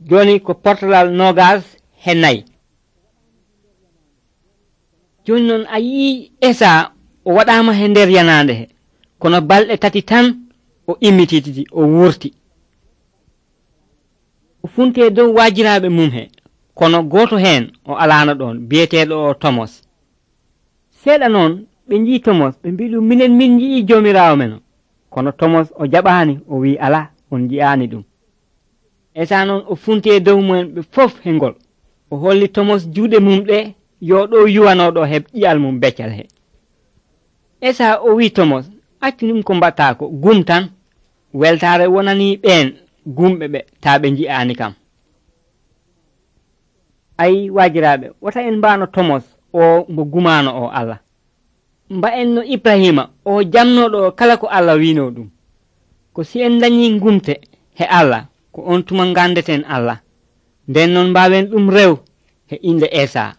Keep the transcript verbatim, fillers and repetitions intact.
joni ko portalal nogas he nayi. Joni noon a yii Esa o waɗama he nder yanande he kono balɗe tati tan o immitititi o wurti o funte dow wajiraɓe mum he kono goto hen o alano ɗon biyeteɗo o Tomos. Seeɗa noon ɓe jii Tomos ɓe mbi ɗum minen min jii jomirawo men kono Tomos o jaɓani o wi ala on ji'ani ɗum. Esa noon o funte dow mumen ɓe fof he ngol o holli Tomos juuɗe mum ɗe yo ɗo yuwanoɗo heb ƴiyal mum beccal he. Esa o wi Tomos accu ɗum ko mbatta ko gum tan weltare wonani ɓen gumɓe ɓe ta ɓe ji'ani kam. Ayi wajiraɓe wota en mbano Tomos o mo gumano o Allah mba en no Ibrahima o jamnoɗo kala ko Allah wino ɗum ko si en dañi gumte he Allah ko on tuma gandeten Allah nden non mbawen ɗum rew he inde Esa.